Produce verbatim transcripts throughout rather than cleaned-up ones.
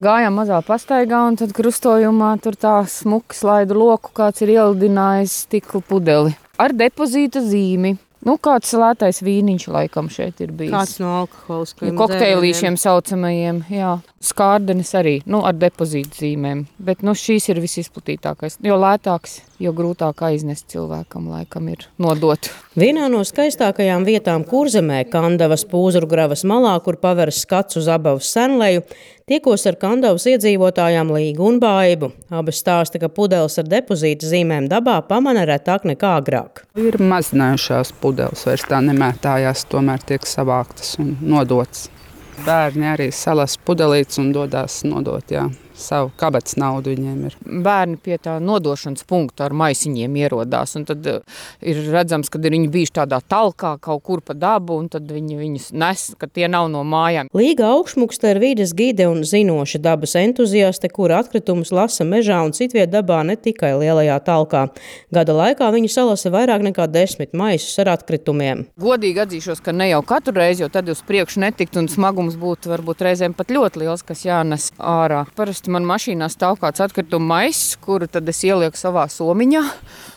Gājām mazā pastaigā un tad krustojumā tur tā smuki slaidu loku kāds ir ielidinājis stikla pudeli ar depozīta zīmi. Nu, kāds lētais vīniņš laikam šeit ir bijis. Kāds no alkoholiskajiem kokteilīšiem saucamajiem, jā. Skārdenis arī, nu, ar depozītu zīmēm. Bet, nu, šīs ir visizplatītākais. Jo lētāks, jo grūtāk aiznest cilvēkam laikam ir nodot. Vienā no skaistākajām vietām Kurzemē, Kandavas Pūzurgravas malā, kur paveras skats uz Abavas senleju, tiekos ar Kandavas iedzīvotājām Līgu un Baibu. Abas stāsta, ka pudeles ar depozīta zīmēm dabā pamana retāk nekā agrāk. Ir mazinājušās pudeles, vairs tā nemētājās, tomēr tiek savāktas un nodotas. Bērni arī salas pudelītes un dodās nodot, jā. Savu kabatas naudu viņiem ir. Bērni pie tā nodošanas punkta ar maisiņiem ierodās, un tad ir redzams, kad ir viņi bijuši tādā talkā kaut kur pa dabu, un tad viņi viņus nes, ka tie nav no mājām. Līga Augšmukste ir vides gide un zinoša dabas entuziaste, kura atkritumus lasa mežā un citviet dabā, ne tikai lielajā talkā. Gada laikā viņa salasa vairāk nekā desmit maisus ar atkritumiem. Godīgi atzīšos, ka ne jau katru reizi, jo tad uz priekšu netikt un smagums būtu varbūt reizēm pat ļoti liels, kas jānes ārā. Parasti man mašīnā stāv kāds atkrituma maiss, kuru tad es ielieku savā somiņā.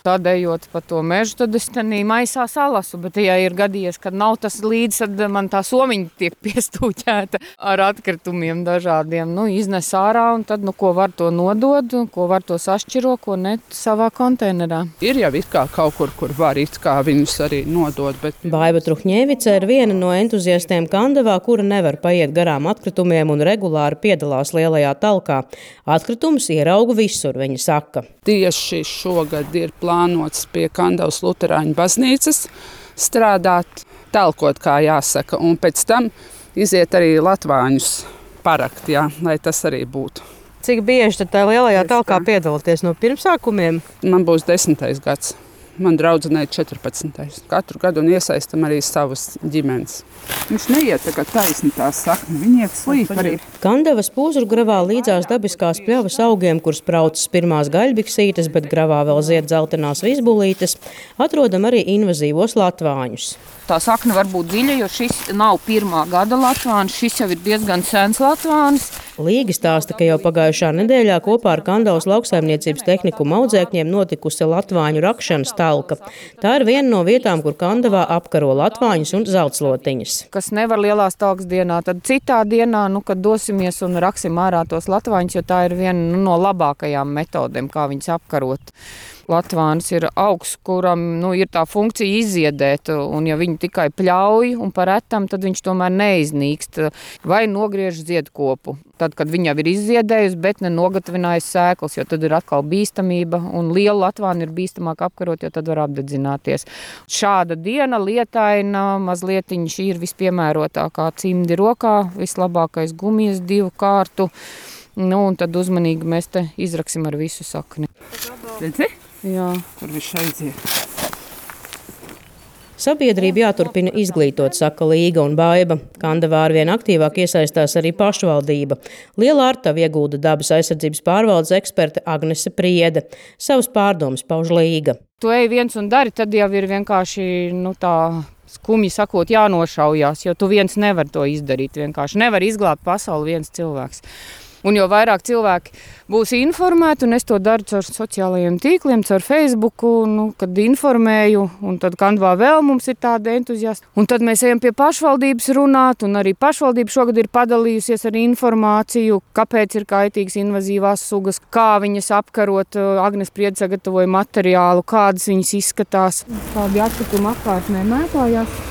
Tādējot pa to mežu, tad es tenī maisā salasu, bet ja ir gadījies, kad nav tas līdz, tad man tā somiņa tiek piestūķēta ar atkritumiem dažādiem. Nu, iznes ārā un tad, nu, ko var to nodod, ko var to sašķiro, ko ne savā konteinerā. Ir jau it kā kaut kur, kur var it kā viņus arī nodot, bet... Baiba Truhņēvice ir viena no entuziastiem Kandavā, kura nevar paiet garām atkritumiem un regulāri piedalās lielajā talkā. Atkritumus ierauga visur, viņa saka. Tieši šogad ir plānots pie Kandavas Luterāņu baznīcas strādāt, talkot, kā jāsaka, un pēc tam iziet arī latvāņus parakt, jā, lai tas arī būtu. Cik bieži tad tā lielajā talkā piedalāties no pirmsākumiem? Man būs desmitais gads. Man draudzenei četrpadsmitais. Katru gadu un iesaistam arī savas ģimenes. Viņš neiet tagad taisni tā sakni, viņi iet slīp arī. Kandavas Pūzurgravā līdzās dabiskās pļavas augiem, kur spraucas pirmās gaļbiksītes, bet gravā vēl zied dzeltenās vizbulītes, atrodam arī invazīvos latvāņus. Tā sakne var būt dziļa, jo šis nav pirmā gada latvāns, šis jau ir diezgan sens latvāns. Līga stāsta, ka jau pagājušā nedēļā kopā ar Kandavas lauksaimniecības tehnikuma audzēkņiem notikusi latvāņu rakšanas talka. Tā ir viena no vietām, kur Kandavā apkaro latvāņus un zeltslotiņas. Kas nevar lielās talkas dienā, tad citā dienā, nu, kad dosimies un raksim ārā tos latvāņus, jo tā ir viena nu, no labākajām metodēm, kā viņus apkarot. Latvāns ir augs, kuram nu, ir tā funkcija izziedēt, un ja viņu tikai pļauj un par retam, tad viņš tomēr neiznīkst vai nogriež ziedkopu. Tad, kad viņa ir izziedējusi, bet nenogatavinājusi sēklas, jo tad ir atkal bīstamība, un liela latvāna ir bīstamāk apkarot, jo tad var apdedzināties. Šāda diena, lietaina, mazlietiņa šī ir vispiemērotākā cimdi rokā, vislabākais gumijas divu kārtu, nu, un tad uzmanīgi mēs te izraksim ar visu sakni. Redzi? Jā. Kur viņš aiziet. Sabiedrība jāturpina izglītot, saka Līga un Baiba. Kandavā arvien aktīvāk iesaistās arī pašvaldība. Liela artavu iegulda dabas aizsardzības pārvaldes eksperte Agnese Priede. Savas pārdomas pauž Līga. Tu ej viens un dari, tad jau ir vienkārši, nu tā skumji sakot, jānošaujās, jo tu viens nevar to izdarīt vienkārši. Nevar izglābt pasauli viens cilvēks. Un jo vairāk cilvēki būs informēti, un es to daru caur sociālajiem tīkliem, caur Facebooku, nu, kad informēju, un tad Kandavā vēl mums ir tāda entuziasta. Un tad mēs ejam pie pašvaldības runāt, un arī pašvaldība šogad ir padalījusies ar informāciju, kāpēc ir kaitīgas invazīvās sugas, kā viņas apkarot. Agnese Priede sagatavoja materiālu, kādas viņas izskatās. Kādi atkritumi apkārtnē mētājās.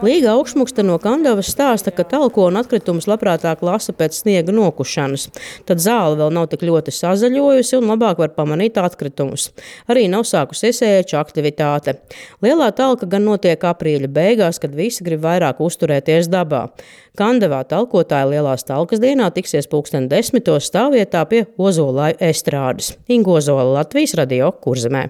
Līga Augšmukste no Kandavas stāsta, ka talko un atkritumus labprātāk lasa pēc sniega nokušanas. Tad zāle vēl nav tik ļoti sazaļojusi un labāk var pamanīt atkritumus. Arī nav sākusies ēču aktivitāte. Lielā talka gan notiek aprīļa beigās, kad visi grib vairāk uzturēties dabā. Kandavā talkotāji lielās talkas dienā tiksies pulksten desmitos stāvvietā pie Ozolāju estrādes. Inga Ozola, Latvijas radio, Kurzemē.